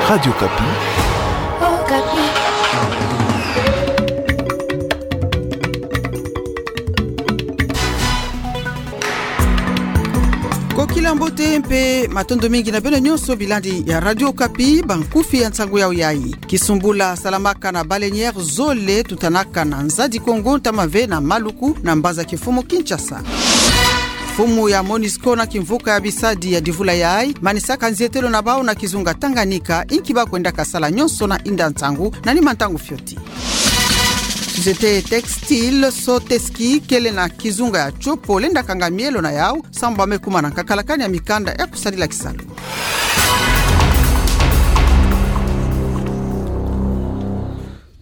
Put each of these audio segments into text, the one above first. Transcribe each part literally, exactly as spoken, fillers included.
Radio Okapi. Okapi. Kokila mbote mpe matondo mingi na beno nyonso bilandi ya Radio Okapi, bankufi ya nsangu yau yayi. Kisumbula salamaka na baleinière zole tutanaka na Nzadi Kongo ntama ve na Maluku na mbanza-kimfumu Kinshasa. Mfumu ya MONUSCO na kimvuka ya bisadi ya divula yayi manisaka nzietelo na bau na kizunga Tanganyika, inki ba kwendaka sala nyonso na inda ntangu na nima ntangu fioti. Société textile Soteski kele na kizunga ya Tshopo lenda kanga mielo na yau, sambu ba me kuma na nkakalakani ya mikanda ya kusadila kisalu.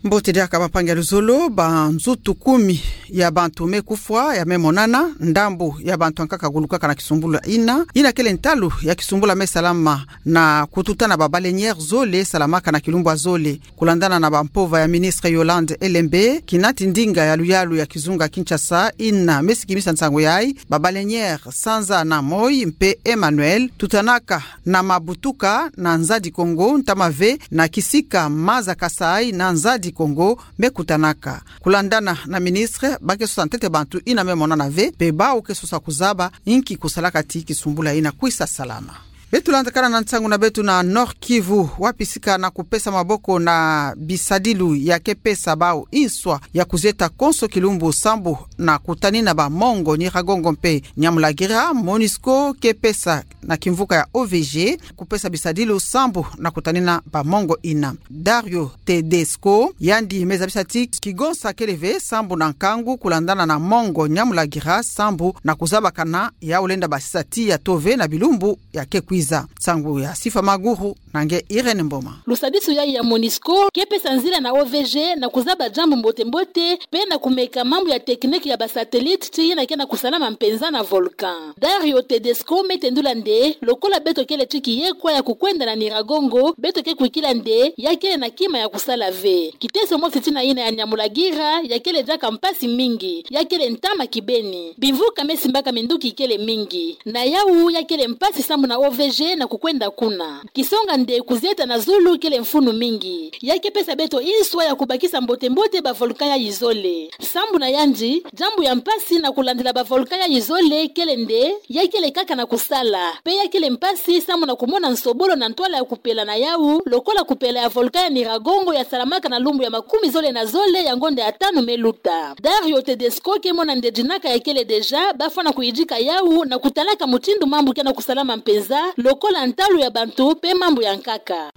Mbote diaka bampangi ya luzolo, banzutu kumi ya bantu me kufwa, ya me monana, ndambu ya bantu ankaka gulukaka na kisumbula ina, ina kele ntalu ya kisumbula me salama na kututa na ba baleinière zole salamaka na kilumbu ya zole. Kulandana na bampova ya ministre Yolande Elembe, kinati ndinga ya luyalu ya kizunga Kinshasa ina me sikimisa nsangu yayi, ba baleinière Sanza na Moi mpe Emmanuel tutanaka na Mabutuka na Nzadi Kongo ntama ve na kisika Maza Kasai na Nzadi Kongo me kutanaka. Kulandana na ministre, ba ke sosa ntete bantu ina me monana ve, mpe bau ke sosa kuzaba inki kusalaka ti kisumbula ina kwisa salama. Beto landakana na nsangu na beto na Nord-Kivu, wapi sika na kupesa maboko na bisadilu ya ke pesa bau inswa ya kuzieta konso kilumbu sambu na kutanina ba mongo Nyiragongo mpe Nyamulagira, MONUSCO ke pesa na kimvuka ya O V G kupesa bisadilu sambu na kutanina ba mongo ina. Dario Tedesco yandi me zabisa ti kigonsa kele ve sambu na nkangu kulandana na mongo Nyamulagira sambu na kuzabakana yau lenda basisa tiya tove na bilumbu ya ke kwiza. Nsangu ya Sifa Maguru na nge Irène Mboma. Lusadisu yayi ya MONUSCO ke pesa nzila na O V G na kuzaba jambu mbote-mbote mpe na kumeka mambu ya technique ya ba satellite ti ina ke na kusalama mpenza na volcan. Dario Tedesco me tendula nde, lokola beto kele ti kiyekwa ya kukwenda na Nyiragongo, beto ke kwikila nde ya kele na kima ya kusala ve. Kiteso mosi ti na ina ya Nyamulagira ya kele diaka mpasi mingi, ya kele ntama kibeni. Bimvuka me simbaka minduki kele mingi. Na yau ya kele mpasi sambu na O V G na kukwenda kuna. Kisonga nde kuzieta na zulu kele mfunu mingi. Ya ke pesa beto inswa ya kubakisa mbote-mbote ba volcan yayi zole. Sambu na yandi, jambu ya mpasi na kulandila ba volcan yayi zole kele nde ya kele kaka na kusala. Mpe ya kele mpasi sambu na kumona nsobolo na ntwala ya kupela na yau, lokola kupela ya volcan ya Nyiragongo ya salamaka na lumbu ya makumi zole na zole ya ngonda ya tanu me luta. Dario Tedesco ke mona nde dinaka ya kele déjà, ba fwana kuyidika yau na kutalaka mutindu mambu ke na kusalama mpenza, lokola ntalu ya bantu mpe mambu ya nkaka.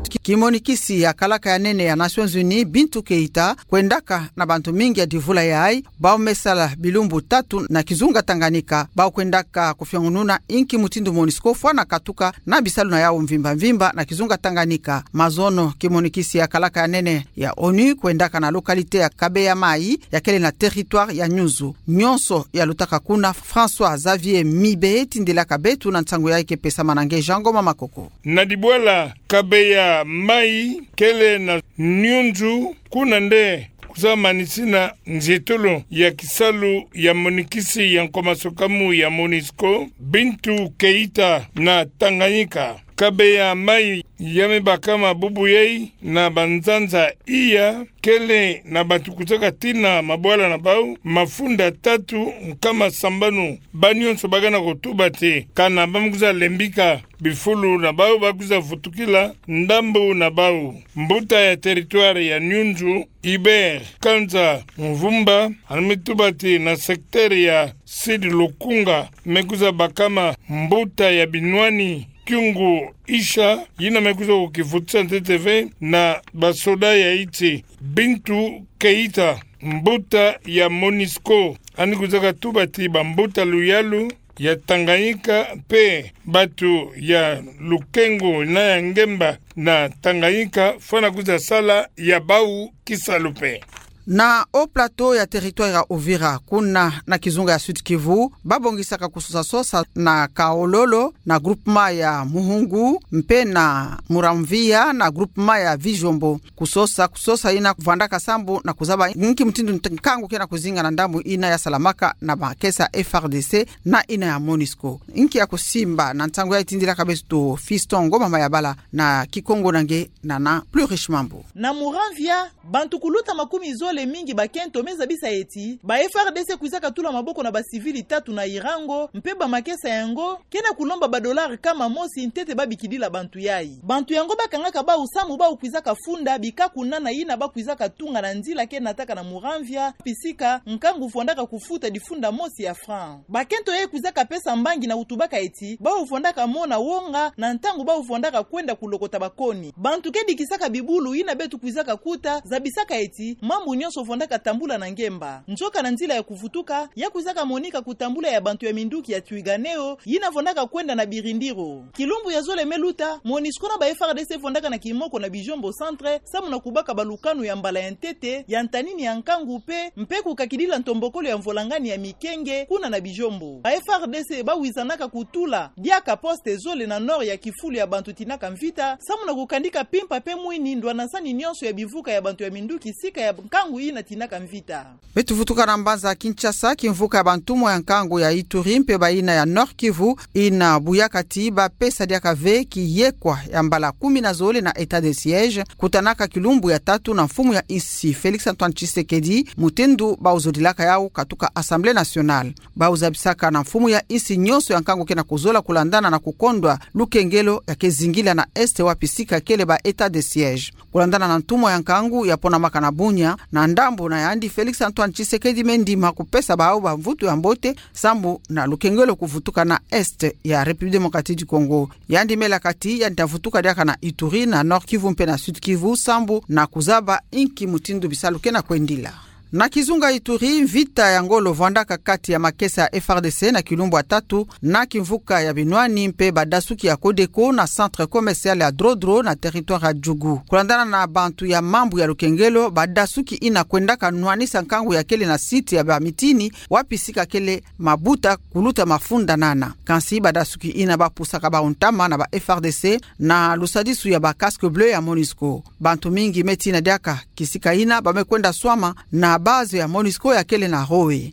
Ki-, kimonikisi ya kalaka ya nene ya Nations Unies, Bintou Keita, kwendaka na bantu mingi ya divula yayi, bau me sala bilumbu tatu na kizunga Tanganyika, bau kwendaka kufiongununa inki mutindu MONUSCO fwana katuka na bisalu na yau mvimba-mvimba na kizunga Tanganyika. Mazono, kimonikisi ya kalaka ya nene ya ONU kwendaka na localité ya Kabeya-Mayi, ya kele na territoire ya Nyunzu. Nyonso ya lutaka kuna, François-Xavier Mibe tindilaka beto na nsangu yayi ke pesama na nge Jean Ngoma Makoko. Na dibwala, Kabeya-Mayi kele na Nyunzu, kuna nde kwiza manisina nzietolo ya kisalu ya monikisi ya nkoma sokamu ya MONUSCO, Bintou Keita, na Tanganyika. Kabeya-Mayi ya me bakama bubu yayi na banzanza iya, kele na bantu kwiza katina mabwala na bau mafunda tatu nkama sambanu. Ba nyonso ba gana kutubati kana ba me kwiza lembika bifulu na bau, ba kwiza vutukila ndambu na bau. Mbuta ya territoire ya Nyunzu, Hubert Kanza Mvumba, ani me tubati na secteur ya Sud Lukunga, me kwiza bakama mbuta ya binwani Kyungu Isha, yina me kwiza kukivutisa ntete ve na basoda ya nsi. Bintou Keita, mbuta ya MONUSCO, ani kwiza katubati bambuta luyalu ya Tanganyika mpe batu ya lukengo na ya ngemba na Tanganyika, fwana kwiza sala ya bau kisalu mpe. Na Haut-Plateau ya territoire ya Uvira, kuna na kizunga ya Sud-Kivu, babongisaka kusosa-sosa na Kaololo, na groupement ya Muhungu, mpe na Muramvya, na groupement ya Bijombo. Kusosa, kusosa ina kuvwandaka sambu na kuzaba inki mutindu nkangu ke na kuzinga na ndambu ina yasalamaka na makesa ya F R D C na ina ya MONUSCO. Inki ya kusimba na nsangu yayi, tindilaka beto Fiston Ngoma Mayabala na Kikongo na nge na na Plus Riche Mambu. Na Muramvya, bantu kuluta makumi zole mingi bakento me zabisa eti ba F R D C kwizaka tula maboko na ba civil tatu na Irango, mpe ba makesa yango ke na kulomba ba dollars nkama mosi ntete babikidila bantu yayi. Bantu yango bakangaka bau sambu bau kwizaka funda bikaku nana ina bakwizaka tunga na nzila ke nataka na Muramvya, pisika nkangu vwandaka kufuta difunda mosi ya franc. Bakento yayi kwizaka pesa mbangi na kutubaka eti bau vwandaka mona wonga na ntangu bau vwandaka kwenda kulokota bakoni. Bantu ke dikisaka bibulu ina beto kwizaka kuta, zabisaka eti mambu nyonso vwandaka tambula na ngemba. Nzoka na nzila ya kuvutuka, ya kwizaka monika kutambula ya bantu ya minduki ya Twirwaneho, yina vwandaka kwenda na birindiro. Kilumbu ya zole me luta, MONUSCO na ba F R D C vwandaka na kimoko na Bijombo Centre, sambu na kubaka balukanu ya mbala ya ntete, ya ntanini ya nkangu mpe, mpe kukakidila ntombokolo ya mvolangani ya mikenge, kuna na Bijombo. Ba F R D C bawizanaka kutula diaka poste zole na nord ya kifulu ya bantu tinaka mvita, sambu na kukandika mpimpa mpe mwini ndwanasani nyonso ya bimvuka ya bantu ya minduki sika ya nkangu ina tinaka mvita. Beto vutuka na mbanza Kinshasa, kimvuka ya bantumwa ya nkangu ya Ituri mpe bayina ya Nord-Kivu ina buyaka ti bapesa diaka ve kiyekwa ya mbala kumi na zole na état de siège, kutanaka kilumbu ya tatu na mfumu ya insi Félix Antoine Tshisekedi, mutindu bau zodilaka yau katuka Assemblée nationale. Bau zabisaka na mfumu ya insi nyonso ya nkangu ke na kuzola kulandana na kukondwa lukengelo ya ke zingila na est wapi sika kele ba état de siège. Kulandana na ntumwa ya nkangu ya ponamaka na Bunia, na ndambu na yandi Félix Antoine Tshisekedi me ndima kupesa bau bamvutu ya mbote, sambu na lukengelo kuvutuka na est ya République démocratique du Congo. Yandi me laka ti yandi ta vutuka diaka na Ituri, na Nord-Kivu mpe na Sud-Kivu, sambu na kuzaba inki mutindu bisalu ke na kwendila. Na kizunga Ituri, mvita ya ngolo vwandaka kati ya makesa ya F R D C na kilumbu ya tatu, na kimvuka ya binwani mpe badasuki ya Codeco na centre commercial ya Drodro na territoire ya Djugu. Kulandana na bantu ya mambu ya lukengelo, badasuki ina kwendaka nwanisa nkangu ya kele na site ya bamitini, wapi sika kele mabuta kuluta mafunda nana. Kansi badasuki ina bapusaka bau ntama na ba F R D C na lusadisu ya ba casque bleu ya MONUSCO. Bantu mingi me tina diaka kisika ina ba me kwenda swama na base ya MONUSCO ya kele na Roe.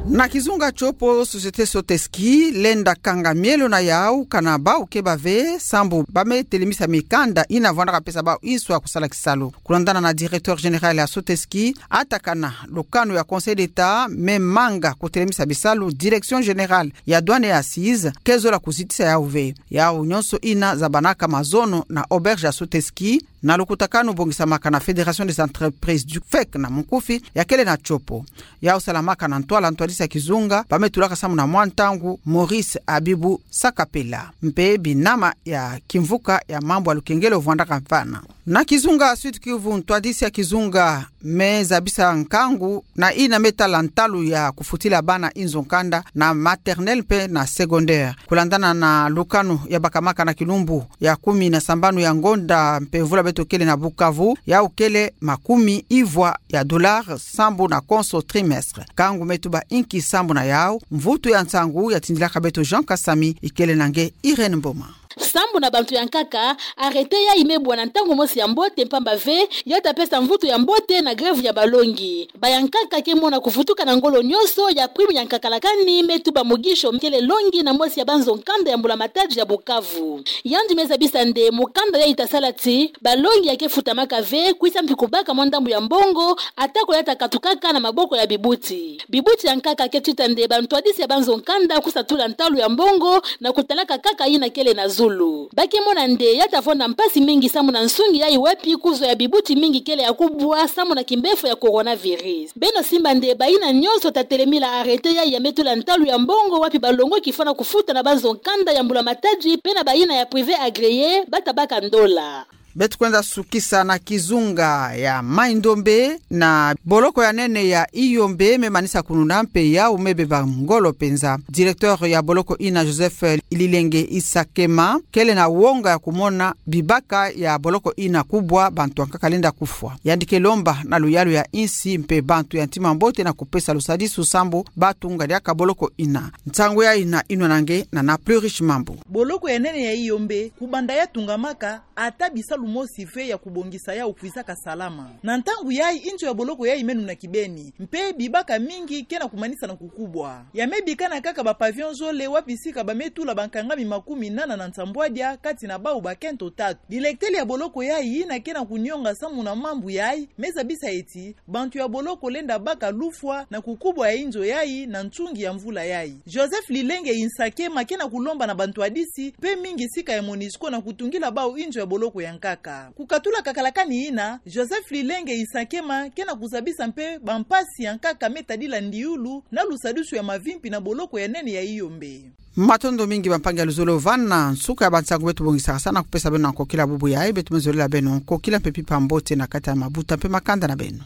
Na kizunga Tshopo, société Soteski lenda kanga mielo na yau kana bau ke bave, sambu ba me telemisa mikanda ina vwandaka pesa bau insu ya kusala kisalu. Kulandana na directeur général ya Soteski, atakana lukanu ya Conseil d'État me manga kutelemisa bisalu, direction générale ya douane et assises ke zola kuzitisa yau ve. Yau nyonso ina zabanaka mazono na auberge ya Soteski, na lukutakanu bongisamaka na Fédération des entreprises du, fek na mukufi, ya kele na Tshopo. Yau salamaka na ntwala ntwadisi ya kizunga ba me tulaka sambu na mwa ntangu Maurice Abibu Sakapela, mpe binama ya kimvuka ya mambu ya lukengelo vwandaka mfana. Na kizunga Sud-Kivu, ntwadisi ya kizunga me zabisa nkangu na ina me tala ntalu ya kufutila bana inzo nkanda na maternelle mpe na secondaire. Kulandana na lukanu ya bakamaka na kilumbu ya kumi na sambanu ya ngonda mpe mvula beto kele na Bukavu, yau kele makumi ivwa ya dollars sambu na konso trimestre. Nkangu me tuba inki sambu na yau, mvutu ya nsangu ya tindilaka beto Jean Kasami, ikele na nge Irène Mboma. Sambu na bantu ya nkaka, arrêté yayi me bwa na ntangu mosi ya mbote mpamba ve, ya ta pesa mvutu ya mbote na grève ya balongi. Ba ya nkaka ke mona kuvutuka na ngolo nyonso ya prime ya nkaka lakani me tuba mugisho kele longi na mosi ya banzo nkanda ya mbula-matadi ya Bukavu. Yandi me zabisa nde mukanda yayi ta sala ti balongi ya ke futamaka ve, kwisa mpi kubaka mwa ndambu ya mbongo, atako ya ta katukaka na maboko ya bibuti. Bibuti ya nkaka ke tuta nde bantwadisi ya banzo nkanda kwisa tula ntalu ya mbongo na kutalaka kaka yina kele na zulu. Ba ke mona nde ya ta vwanda mpasi mingi sambu na nsungi yayi wapi kuzo ya bibuti mingi kele ya kubwa sambu na kimbefo ya coronavirus. Beno simba nde bayina nyonso ta telemila arrêté yayi ya me tula ntalu ya mbongo wapi balongoki fwana kufuta na banzo nkanda ya mbula-matadi mpe na bayina ya privé agréé ba ta baka ndola. Beto kwenda sukisa na kizunga ya Mai-Ndombe, na boloko ya nene ya Iyombe me manisa kununa mpe yau me beba ngolo penza. Directeur ya boloko ina, Joseph Lilenge Isakema, kele na wonga ya kumona bibaka ya boloko ina kubwa, bantu ya nkaka lenda kufwa. Yandi ke lomba na luyalu ya insi mpe bantu ya ntima mbote na kupesa lusadisu sambu batunga diaka boloko ina. Nsangu ya ina inwanangana na Plus Riche Mambu. Boloko ya nene ya Iyombe, kubanda ya tungamaka, ata bisalu mosi ve ya kubongisa yau kwizaka salama. Na ntangu yayi, inzo ya boloko yayi meno na kibeni, mpe bibaka mingi ke na kumanisa na kukubwa. Ya me bikana kaka ba pavillon zole, wapi sika ba me tula bankangami makumi nana na nsambwadia, kati na bau bakento tatu. Directeur ya boloko yayi ina ke na kunionga samu na mambu yayi, me zabisa eti, bantu ya boloko lenda baka lufwa na kukubwa ya inzo yayi na ntungi ya mvula yayi. Joseph Lilenge Isakema ke na kulomba na bantu yadisi, mpe mingi sika ya MONUSCO na kutungila bau inzo ya boloko ya nkaka. Kukatula kakalakani ina, Joseph Lilenge Isakema ke na kuzabisa mpe bampasi ya nkaka me tadila ndiulu na lusadisu ya mavimpi na boloko ya nene ya Iyombe. Matondo mingi bampangi ya luzolo vana nsuka ya bansangu beto bongisaka sa na kupesa beno na nkokila bubu yayi. Beto me zolela beno nkokila mpe mpimpa mbote na kati ya mabuta mpe makanda na beno.